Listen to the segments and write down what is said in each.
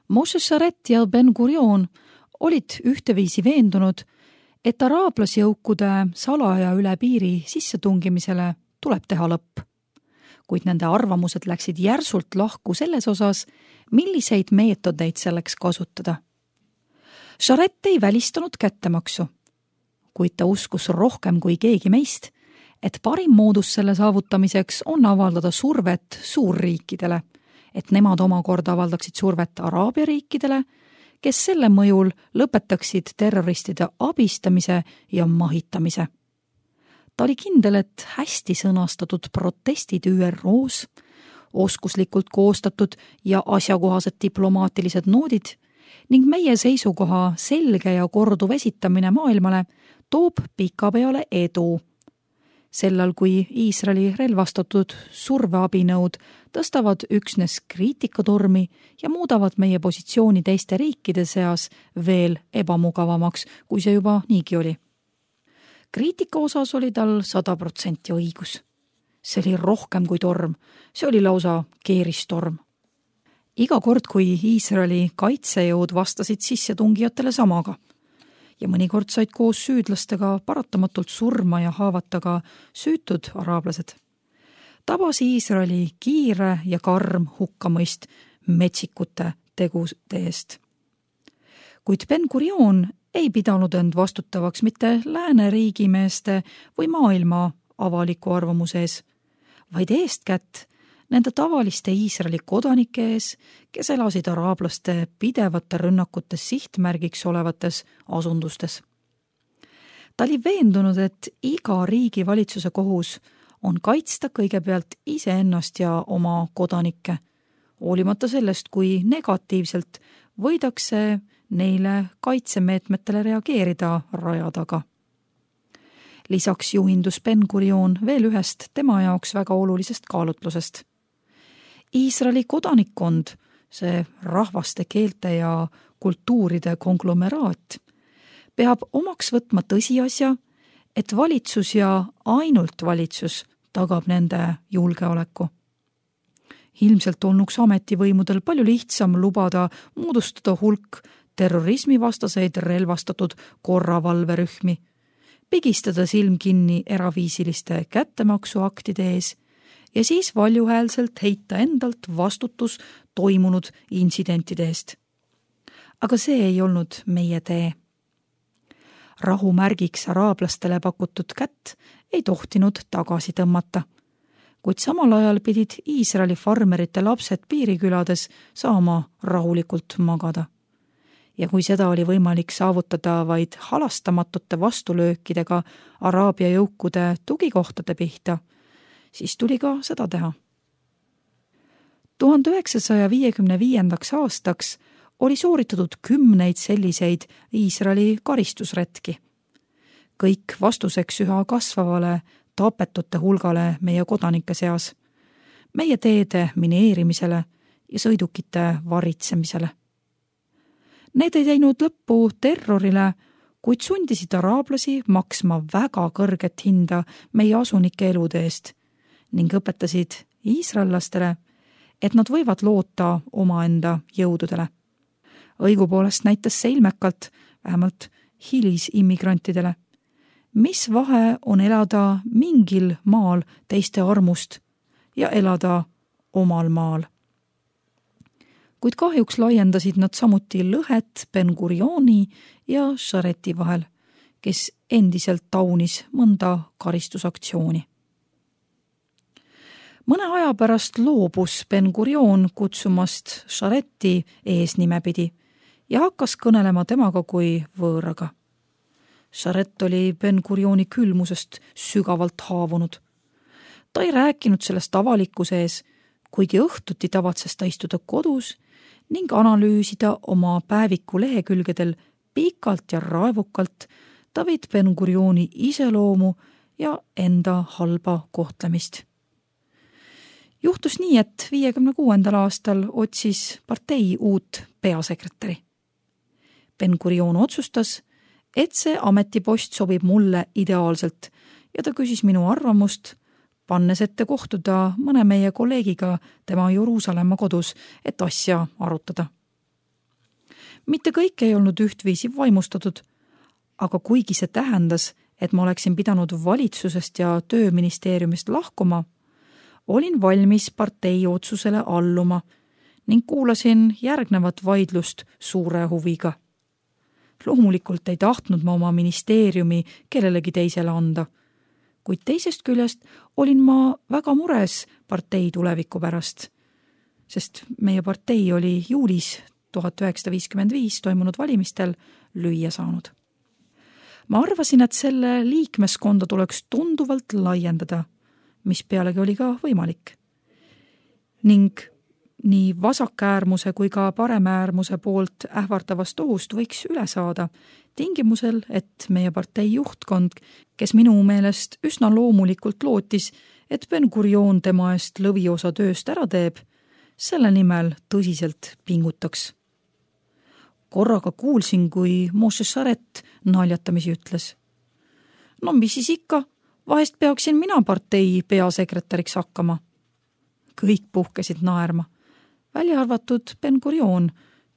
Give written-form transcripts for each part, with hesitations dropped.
Moshe Sharet ja Ben Gurion olid ühteviisi veendunud, et araablasjõukude salaja üle piiri sissetungimisele tuleb teha lõpp. Kuid nende arvamused läksid järsult lahku selles osas, milliseid meetodeid selleks kasutada. Sharet ei välistanud kättemaksu, kuid ta uskus rohkem kui keegi meist, et parim moodus selle saavutamiseks on avaldada survet suurriikidele, et nemad omakorda avaldaksid survet Araabia riikidele, kes selle mõjul lõpetaksid terroristide abistamise ja mahitamise. Ta oli kindel, et hästi sõnastatud protestid ÜRO-s, oskuslikult koostatud ja asjakohased diplomaatilised noodid ning meie seisukoha selge ja korduv esitamine maailmale toob pikapeale edu. Sellal, kui Iisraeli relvastatud surveabinõud tõstavad üksnes kriitikatormi ja muudavad meie positsiooni teiste riikide seas veel ebamugavamaks, kui see juba niigi oli. Kriitika osas oli tal 100% õigus. See oli rohkem kui torm, see oli lausa keeristorm. Iga kord, kui Iisraeli kaitsejõud vastasid sissetungijatele samaga ja mõnikord said koos süüdlastega paratamatult surma ja haavata ka süütud araablased, tabas Iisraeli kiire ja karm hukkamõist metsikute tegude eest. Kuid Ben Gurion ei pidanud end vastutavaks mitte lääne riigimeeste või maailma avaliku arvamuse ees, vaid eestkätt nende tavaliste Iisraeli kodanike ees, kes elasid araablaste pidevate rünnakute sihtmärgiks olevates asundustes. Ta oli veendunud, et iga riigi valitsuse kohus on kaitsta kõigepealt iseennast ja oma kodanikke, hoolimata sellest, kui negatiivselt võidakse neile kaitsemeetmetele reageerida raja taga. Lisaks juhindus Ben Gurion veel ühest tema jaoks väga olulisest kaalutlusest. Iisraeli kodanikkond, see rahvaste, keelte ja kultuuride konglomeraat, peab omaks võtma tõsiasja, et valitsus ja ainult valitsus tagab nende julgeoleku. Ilmselt olnuks ametivõimudel palju lihtsam lubada moodustada hulk terrorismivastaseid relvastatud korravalverühmi, pigistada silm kinni eraviisiliste kättemaksuaktide ees ja siis valjuhäälselt heita endalt vastutus toimunud intsidentide eest. Aga see ei olnud meie tee. Rahumärgiks araablastele pakutud kätt ei tohtinud tagasi tõmmata, kuid samal ajal pidid Iisraeli farmerite lapsed piirikülades saama rahulikult magada. Ja kui seda oli võimalik saavutada vaid halastamatute vastulöökidega Araabia jõukude tugikohtade pihta, siis tuli ka seda teha. 1955. aastaks oli sooritatud 10 selliseid Iisraeli karistusretki. Kõik vastuseks üha kasvavale tapetute hulgale meie kodanike seas, meie teede mineerimisele ja sõidukite varitsemisele. Need ei teinud lõppu terrorile, kuid sundisid araablasi maksma väga kõrget hinda meie asunike elude eest ning õpetasid iisraellastele, et nad võivad loota omaenda jõududele. Õigupoolest näitas see ilmekalt, vähemalt hilisimmigrantidele, mis vahe on elada mingil maal teiste armust ja elada omal maal. Kuid kahjuks laiendasid nad samuti lõhet Ben Gurioni ja Shareti vahel, kes endiselt taunis mõnda karistusaktsiooni. Mõne aja pärast loobus Ben Gurion kutsumast Shareti eesnimepidi ja hakkas kõnelema temaga kui võõraga. Sharet oli Ben Gurioni külmusest sügavalt haavunud. Ta ei rääkinud sellest avalikkuse ees, kuigi õhtuti tavatses ta istuda kodus ning analüüsida oma päeviku lehekülgedel pikalt ja raevukalt David Ben Gurioni iseloomu ja enda halba kohtlemist. Juhtus nii, et 56. aastal otsis partei uut peasekretäri. Ben Gurion otsustas, et see ametipost sobib mulle ideaalselt ja ta küsis minu arvamust, pannes ette kohtuda mõne meie kolleegiga tema Jeruusalemma kodus, et asja arutada. mitte kõik ei olnud ühtviisi vaimustatud, aga kuigi see tähendas, et ma oleksin pidanud valitsusest ja tööministeeriumist lahkuma, olin valmis partei otsusele alluma ning kuulasin järgnevat vaidlust suure huviga. Loomulikult ei tahtnud ma oma ministeeriumi kellelegi teisele anda, kuid teisest küljest olin ma väga mures partei tuleviku pärast, sest meie partei oli juulis 1955 toimunud valimistel lüüa saanud. Ma arvasin, et selle liikmeskonda tuleks tunduvalt laiendada, mis pealegi oli ka võimalik. Ning nii vasakäärmuse kui ka paremäärmuse poolt ähvardavast ohust võiks üle saada, tingimusel, et meie partei juhtkond, kes minu meelest üsna loomulikult lootis, et Ben-Gurion tema eest lõviosa tööst ära teeb, selle nimel tõsiselt pingutaks. Korraga kuulsin, kui Moshe Sharet naljatamisi ütles. No mis siis ikka, vahest peaksin mina partei peasekretäriks hakkama. Kõik puhkesid naerma, välja arvatud Ben-Gurion,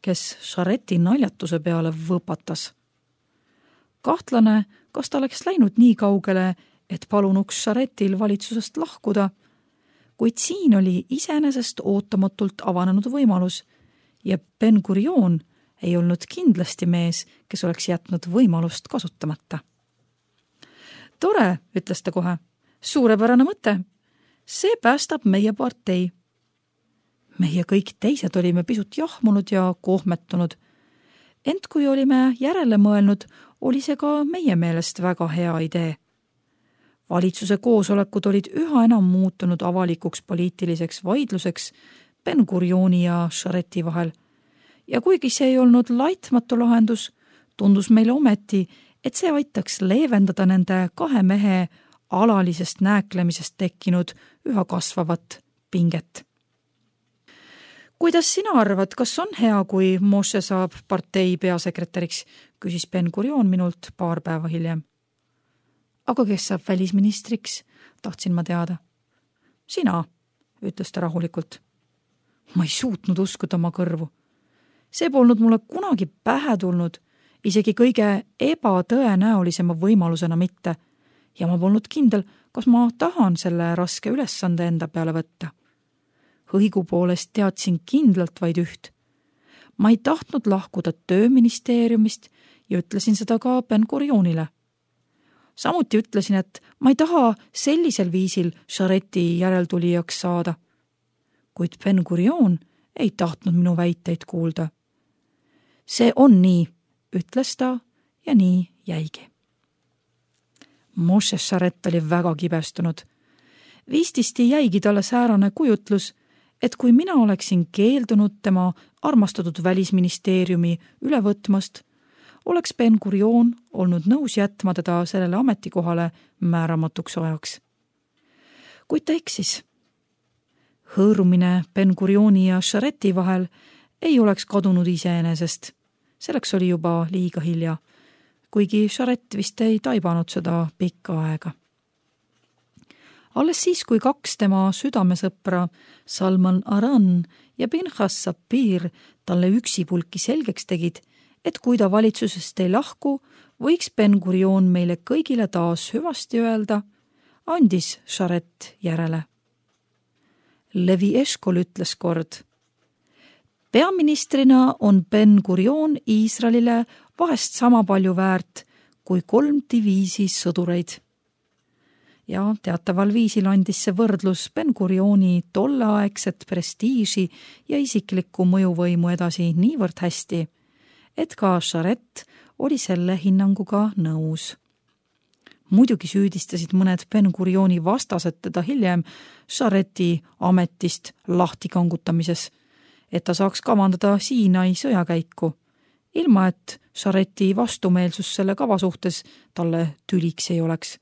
kes Shareti naljatuse peale võpatas. Kahtlane, kas ta oleks läinud nii kaugele, et palunuks Sharetil valitsusest lahkuda, kuid siin oli iseenesest ootamatult avanenud võimalus ja Ben-Gurion ei olnud kindlasti mees, kes oleks jätnud võimalust kasutamata. Tore, ütles ta kohe. Suurepärane mõte. See päästab meie partei. Meie kõik teised olime pisut jahmunud ja kohmetunud. Ent kui olime järele mõelnud, oli see ka meie meelest väga hea idee. Valitsuse koosolekud olid üha enam muutunud avalikuks poliitiliseks vaidluseks Ben-Gurioni ja Shareti vahel. Ja kuigi see ei olnud laitmatu lahendus, tundus meile ometi, et see aitaks leevendada nende kahe mehe alalisest nääklemisest tekkinud üha kasvavat pinget. Kuidas sina arvad, kas on hea, kui Moshe saab partei peasekretäriks, küsis Ben-Gurion minult paar päeva hiljem. Aga kes saab välisministriks, tahtsin ma teada. Sina, ütles ta rahulikult. Ma ei suutnud uskuda oma kõrvu. See polnud mulle kunagi pähe tulnud, isegi kõige ebatõenäolisema võimalusena mitte, ja ma polnud kindel, kas ma tahan selle raske ülesande enda peale võtta. Õigupoolest teadsin kindlalt vaid üht. Ma ei tahtnud lahkuda tööministeeriumist ja ütlesin seda ka Ben-Gurionile. Samuti ütlesin, et ma ei taha sellisel viisil Shareti järeltulijaks saada. Kuid Ben-Gurion ei tahtnud minu väiteid kuulda. See on nii, ütles ta ja nii jäigi. Moshe Sharet oli väga kibestunud. Vististi jäigi talle säärane kujutlus, et kui mina oleksin keeldunud tema armastatud välisministeeriumi üle võtmast, oleks Ben-Gurion olnud nõus jätma teda sellele ametikohale määramatuks ajaks. Kuid ta eksis. Hõõrumine Ben-Gurioni ja Shareti vahel ei oleks kadunud iseenesest. Selleks oli juba liiga hilja, kuigi Sharet vist ei taibanud seda pikka aega. Alles siis, kui kaks tema südamesõpra Salman Aran ja Pinchas Sapir talle üksipulki selgeks tegid, et kui ta valitsusest ei lahku, võiks Ben-Gurion meile kõigile taas hüvasti öelda, andis Sharet järele. Levi Eshkol ütles kord. Peaministrina on Ben-Gurion Iisraelile vahest sama palju väärt kui 3 diviisi sõdureid. Ja teataval viisil andis see võrdlus Ben-Gurioni tolleaegset prestiiži ja isiklikku mõjuvõimu edasi niivõrd hästi, et ka Sharet oli selle hinnanguga nõus. Muidugi süüdistasid mõned Ben-Gurioni vastased teda hiljem Shareti ametist lahti kangutamises, et ta saaks kavandada Siinai sõjakäiku, ilma et Shareti vastumeelsus selle kava suhtes talle tüliks ei oleks.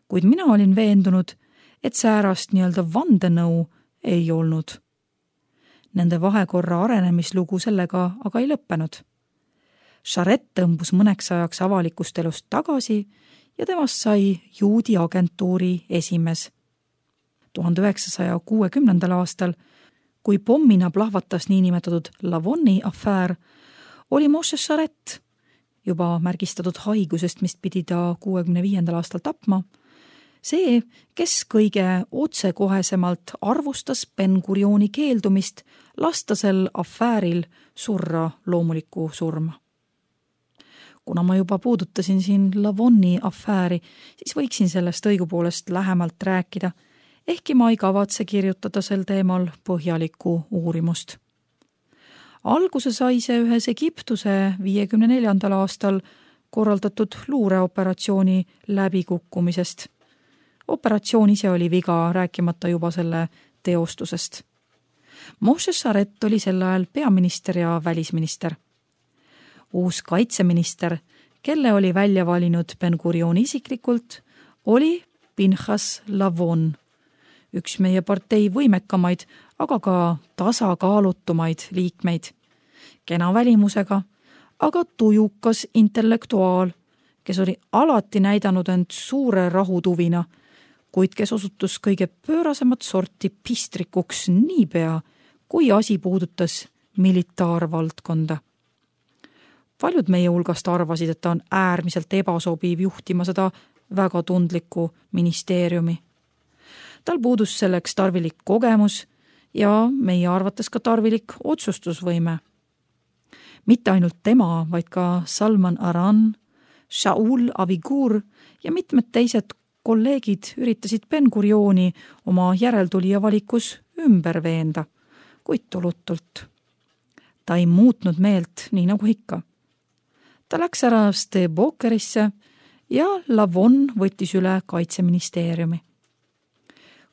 Kuid mina olin veendunud, et säärast nii-öelda vandenõu ei olnud. Nende vahekorra arenemislugu sellega aga ei lõppenud. Sharet tõmbus mõneks ajaks avalikust elust tagasi ja temast sai juudi agentuuri esimees. 1960. aastal, kui pommina plahvatas niinimetatud Lavonni afäär, oli Moshe Sharet, juba märgistatud haigusest, mis pidi ta 65. aastal tapma, see, kes kõige otsekohesemalt arvustas Ben-Gurioni keeldumist lasta sel afääril surra loomulikku surma. Kuna ma juba puudutasin siin Lavonni afääri, siis võiksin sellest õigupoolest lähemalt rääkida, ehkki ma ei kavatse kirjutada sel teemal põhjalikku uurimust. Alguse sai see ühes Egiptuse 54. aastal korraldatud luureoperatsiooni läbikukkumisest. Operatsioon ise oli viga, rääkimata juba selle teostusest. Moshe Sharet oli sel ajal peaminister ja välisminister. Uus kaitseminister, kelle oli välja valinud Ben-Gurion isiklikult, oli Pinchas Lavon, üks meie partei võimekamaid, aga ka tasakaalutumaid liikmeid, kena välimusega, aga tujukas intellektuaal, kes oli alati näidanud end suure rahutuvina, kuid kes osutus kõige pöörasemat sorti pistrikuks niipea, kui asi puudutas militaarvaldkonda. Paljud meie hulgast arvasid, et ta on äärmiselt ebasobiv juhtima seda väga tundlikku ministeeriumi. Tal puudus selleks tarvilik kogemus ja meie arvates ka tarvilik otsustusvõime. Mitte ainult tema, vaid ka Salman Aran, Shaul Avigur ja mitmed teised kolleegid üritasid Ben-Gurioni oma järeltulija valikus ümber veenda, kuid tulutult. Ta ei muutnud meelt, nii nagu ikka. Ta läks ära Stebokerisse ja Lavon võttis üle kaitseministeeriumi.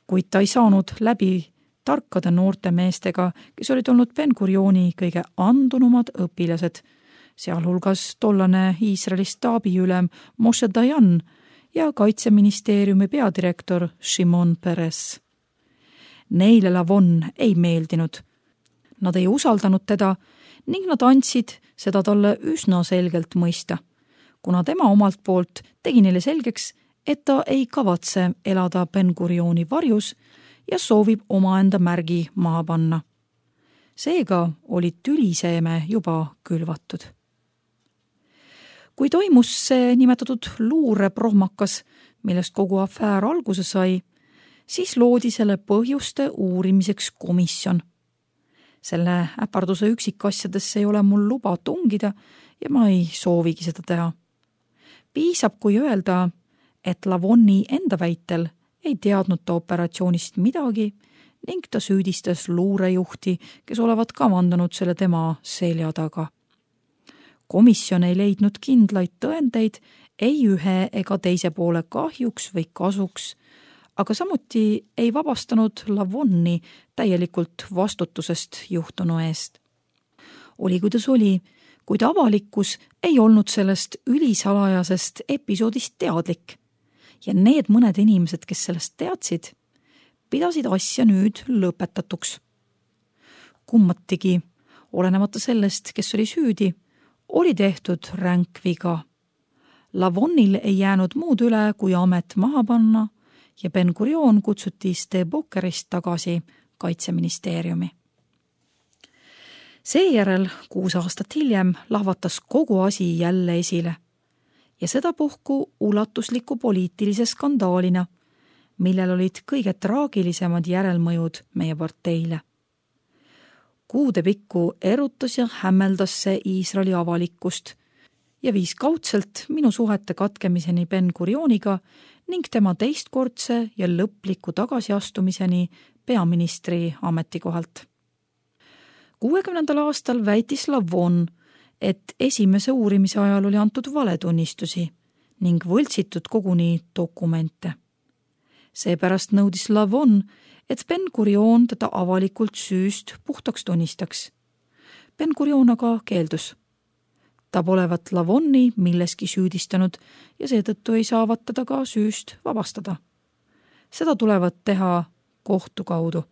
Kuid ta ei saanud läbi tarkade noorte meestega, kes olid olnud Ben-Gurioni kõige andunumad õpilased, sealhulgas tollane Iisraeli staabiülem Moshe Dayan ja kaitseministeeriumi peadirektor Shimon Peres. Neile Lavon ei meeldinud. Nad ei usaldanud teda ning nad andsid seda talle üsna selgelt mõista, kuna tema omalt poolt tegi neile selgeks, et ta ei kavatse elada Ben-Gurioni varjus ja soovib omaenda märgi maha panna. Seega oli tüliseeme juba külvatud. Kui toimus see nimetatud luureprohmakas, millest kogu afäär alguse sai, siis loodi selle põhjuste uurimiseks komisjon. Selle äparduse üksikasjadesse ei ole mul luba tungida ja ma ei soovigi seda teha. Piisab, kui öelda, et Lavonni enda väitel ei teadnud ta operatsioonist midagi ning ta süüdistas luurejuhti, kes olevat kavandanud selle tema selja taga. Komisjon ei leidnud kindlaid tõendeid ei ühe ega teise poole kahjuks või kasuks, aga samuti ei vabastanud Lavonni täielikult vastutusest juhtunu eest. Oli kuidas oli, kuid avalikkus ei olnud sellest ülisalajasest episoodist teadlik ja need mõned inimesed, kes sellest teadsid, pidasid asja nüüd lõpetatuks. Kummatigi, olenemata sellest, kes oli süüdi, oli tehtud ränk viga. Lavonnil ei jäänud muud üle, kui amet maha panna ja Ben-Gurion kutsuti Stebokerist tagasi kaitseministeeriumi. Seejärel 6 aastat hiljem lahvatas kogu asi jälle esile ja sedapuhku ulatusliku poliitilise skandaalina, millel olid kõige traagilisemad järelmõjud meie parteile. Kuude pikku erutas ja hämmeldas see Iisraeli avalikkust ja viis kaudselt minu suhete katkemiseni Ben-Gurioniga ning tema teistkordse ja lõpliku tagasiastumiseni peaministri ametikohalt. 60. aastal väitis Lavon, et esimese uurimise ajal oli antud valetunnistusi ning võltsitud koguni dokumente. Seepärast nõudis Lavon, et Ben-Gurion teda avalikult süüst puhtaks tunnistaks. Ben-Gurion aga keeldus. Ta polevat Lavonni milleski süüdistanud ja seetõttu ei saavat teda ka süüst vabastada. Seda tulevat teha kohtu kaudu.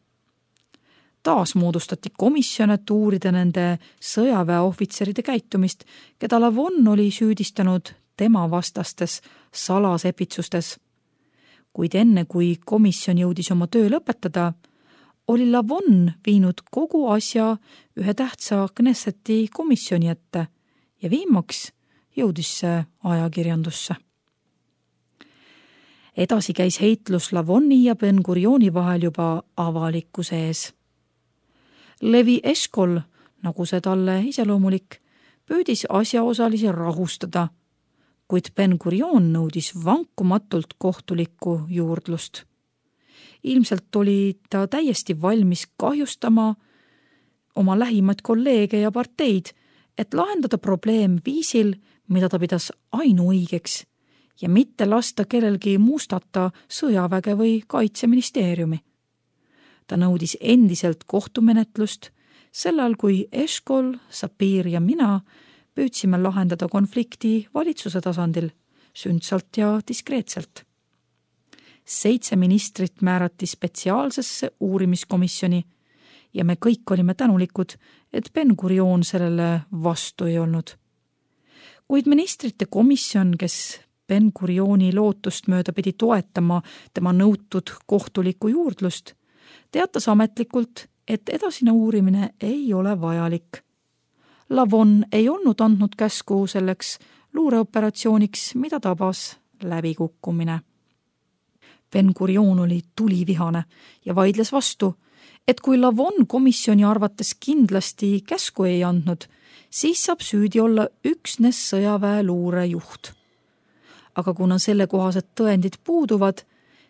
Taas moodustati komisjon, et uurida nende sõjaväeohvitseride käitumist, keda Lavon oli süüdistanud tema vastastes salasepitsustes. Kuid enne, kui komisjon jõudis oma töö lõpetada, oli Lavon viinud kogu asja ühe tähtsa Knesseti komisjoni ette ja viimaks jõudis see ajakirjandusse. Edasi käis heitlus Lavonni ja Ben-Gurioni vahel juba avalikkuse ees. Levi Eshkol, nagu see talle iseloomulik, püüdis asjaosalisi rahustada, kuid Ben-Gurion nõudis vankumatult kohtulikku juurdlust. Ilmselt oli ta täiesti valmis kahjustama oma lähimaid kolleege ja parteid, et lahendada probleem viisil, mida ta pidas ainuõigeks ja mitte lasta kellelgi mustata sõjaväge või kaitseministeeriumi. Ta nõudis endiselt kohtumenetlust, sellal kui Eshkol, Sapir ja mina püüdsime lahendada konflikti valitsuse tasandil, sündsalt ja diskreetselt. 7 ministrit määrati spetsiaalsesse uurimiskomisjoni ja me kõik olime tänulikud, et Ben-Gurion sellele vastu ei olnud. Kuid ministrite komisjon, kes Ben-Gurioni lootust mööda pidi toetama tema nõutud kohtulikku juurdlust, teatas ametlikult, et edasine uurimine ei ole vajalik. Lavon ei olnud andnud käsku selleks luureoperatsiooniks, mida tabas läbikukkumine. Ben-Gurion oli tulivihane ja vaidles vastu, et kui Lavon komisjoni arvates kindlasti käsku ei andnud, siis saab süüdi olla üksnes sõjaväeluure juht. Aga kuna sellekohased tõendid puuduvad,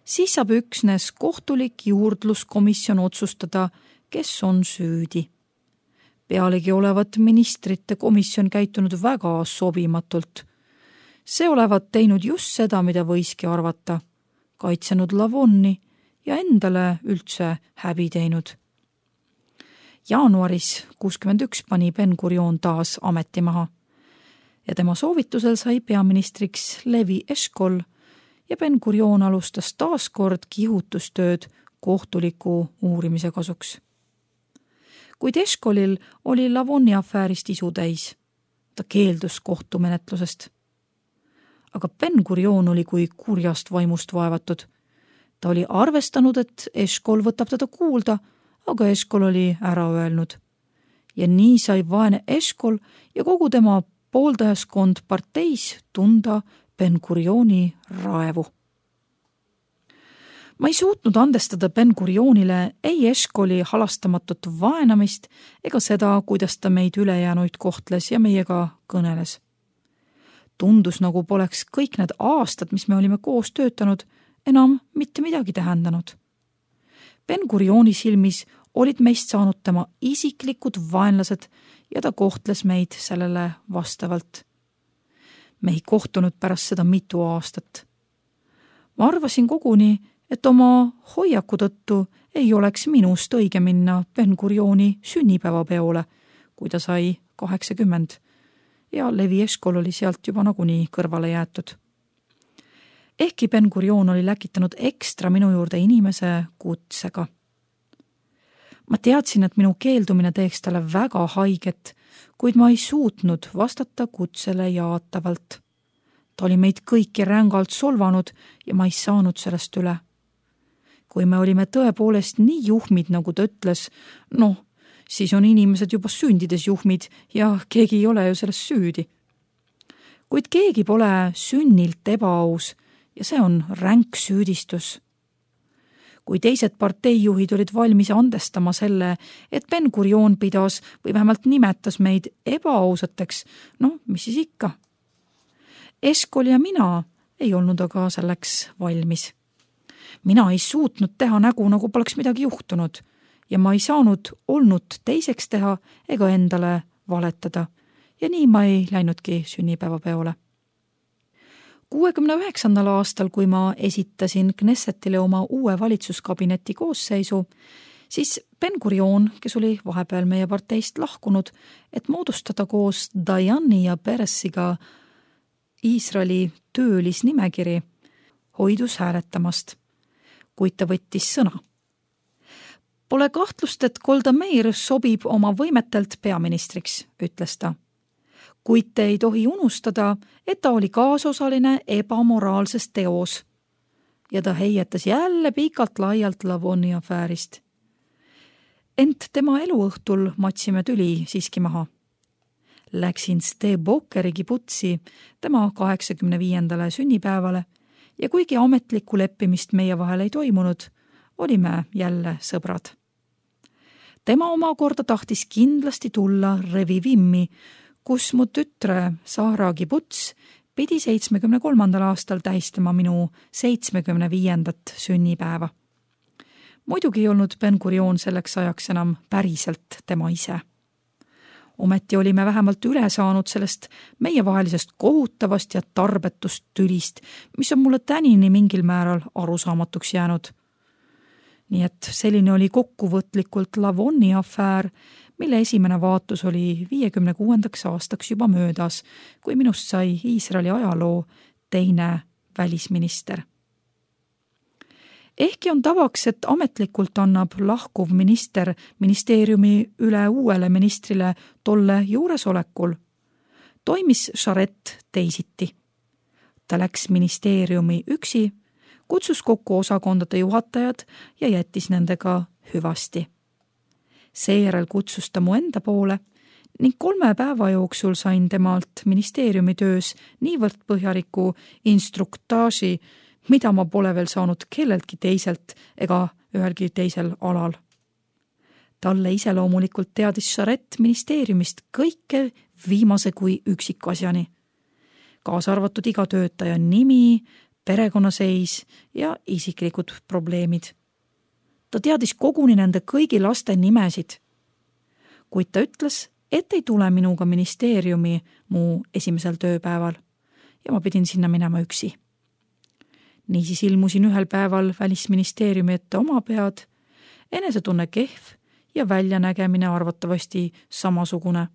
siis saab üksnes kohtulik juurdluskomisjon otsustada, kes on süüdi. Pealegi olevat ministrite komisjon käitunud väga sobimatult. See olevat teinud just seda, mida võiski arvata, kaitsenud Lavonni ja endale üldse häbi teinud. Jaanuaris 61 pani Ben-Gurion taas ameti maha ja tema soovitusel sai peaministriks Levi Eshkol ja Ben-Gurion alustas taas kord kihutustööd kohtuliku uurimise kasuks. Kuid Eshkolil oli Lavonni afäärist isu täis. Ta keeldus kohtumenetlusest. Aga Ben-Gurion oli kui kurjast vaimust vaevatud. Ta oli arvestanud, et Eshkol võtab teda kuulda, aga Eshkol oli ära öelnud. Ja nii sai vaene Eshkol ja kogu tema pooldajaskond parteis tunda Ben-Gurioni raevu. Ma ei suutnud andestada Ben-Gurionile ei Eshkoli halastamatut vaenamist ega seda, kuidas ta meid ülejäänuid kohtles ja meiega kõneles. Tundus, nagu poleks kõik need aastad, mis me olime koos töötanud, enam mitte midagi tähendanud. Ben-Gurioni silmis olid meist saanud tema isiklikud vaenlased ja ta kohtles meid sellele vastavalt. Me ei kohtunud pärast seda mitu aastat. Ma arvasin koguni, et oma hoiaku tõttu ei oleks minust õige minna Ben-Gurioni sünnipäevapeole, kui ta sai 80 ja Levi Eshkol oli sealt juba nagunii kõrvale jäetud. Ehkki Ben-Gurion oli läkitanud ekstra minu juurde inimese kutsega. Ma teadsin, et minu keeldumine teeks talle väga haiget, kuid ma ei suutnud vastata kutsele jaatavalt. Ta oli meid kõiki rängalt solvanud ja ma ei saanud sellest üle. Kui me olime tõepoolest nii juhmid, nagu ta ütles, siis on inimesed juba sündides juhmid ja keegi ei ole ju sellest süüdi. Kuid keegi pole sünnilt ebaaus ja see on ränk süüdistus. Kui teised parteijuhid olid valmis andestama selle, et Ben-Gurion pidas või vähemalt nimetas meid ebaausateks, mis siis ikka? Eshkol ja mina ei olnud aga selleks valmis. Mina ei suutnud teha nägu, nagu poleks midagi juhtunud ja ma ei saanud olnud teiseks teha ega endale valetada ja nii ma ei läinudki sünnipäevapeole. 69. aastal, kui ma esitasin Knessetile oma uue valitsuskabineti koosseisu, siis Ben-Gurion, kes oli vahepeal meie parteist lahkunud, et moodustada koos Dayani ja Peresiga Iisraeli töölisnimekiri, hoidus hääletamast, kuid ta võttis sõna. Pole kahtlust, et Golda Meir sobib oma võimetelt peaministriks, ütles ta. Kuid te ei tohi unustada, et ta oli kaasosaline ebamoraalses teos. Ja ta heietas jälle pikalt laialt Lavonni afäärist. Ent tema eluõhtul matsime tüli siiski maha. läksin Stebokeri kibutsi tema 85. sünnipäevale ja kuigi ametlikku leppimist meie vahel ei toimunud, olime jälle sõbrad. Tema omakorda tahtis kindlasti tulla Revivimmi, kus mu tütre Sahra kibuts pidi 73. aastal tähistama minu 75. sünnipäeva. Muidugi ei olnud Ben-Gurion selleks ajaks enam päriselt tema ise. Ometi olime vähemalt üle saanud sellest meievahelisest kohutavast ja tarbetust tülist, mis on mulle tänini mingil määral arusaamatuks jäänud. Nii et selline oli kokkuvõtlikult Lavonni afäär, mille esimene vaatus oli 56. aastaks juba möödas, kui minust sai Iisraeli ajaloo teine välisminister. Ehkki on tavaks, et ametlikult annab lahkuv minister ministeeriumi üle uuele ministrile tolle juuresolekul, toimis Charette teisiti. Ta läks ministeeriumi üksi, kutsus kokku osakondade juhatajad ja jättis nendega hüvasti. Seejärel kutsus ta mu enda poole ning 3 päeva jooksul sain temalt ministeeriumi töös niivõrd põhjaliku instruktaaži, mida ma pole veel saanud kelleltki teiselt ega ühelgi teisel alal. Talle iseloomulikult teadis Charette ministeeriumist kõike viimase kui üksikasjani, kaasa arvatud iga töötaja nimi, perekonnaseis ja isiklikud probleemid. Ta teadis koguni nende kõigi laste nimesid, kuid ta ütles, et ei tule minuga ministeeriumi mu esimesel tööpäeval ja ma pidin sinna minema üksi. Niisiis ilmusin ühel päeval välisministeeriumi ette oma pead, enesetunne kehv ja väljanägemine arvatavasti samasugune,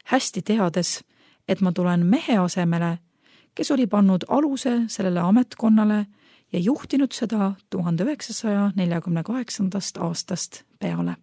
hästi teades, et ma tulen mehe asemele, kes oli pannud aluse sellele ametkonnale ja juhtinud seda 1948. aastast peale.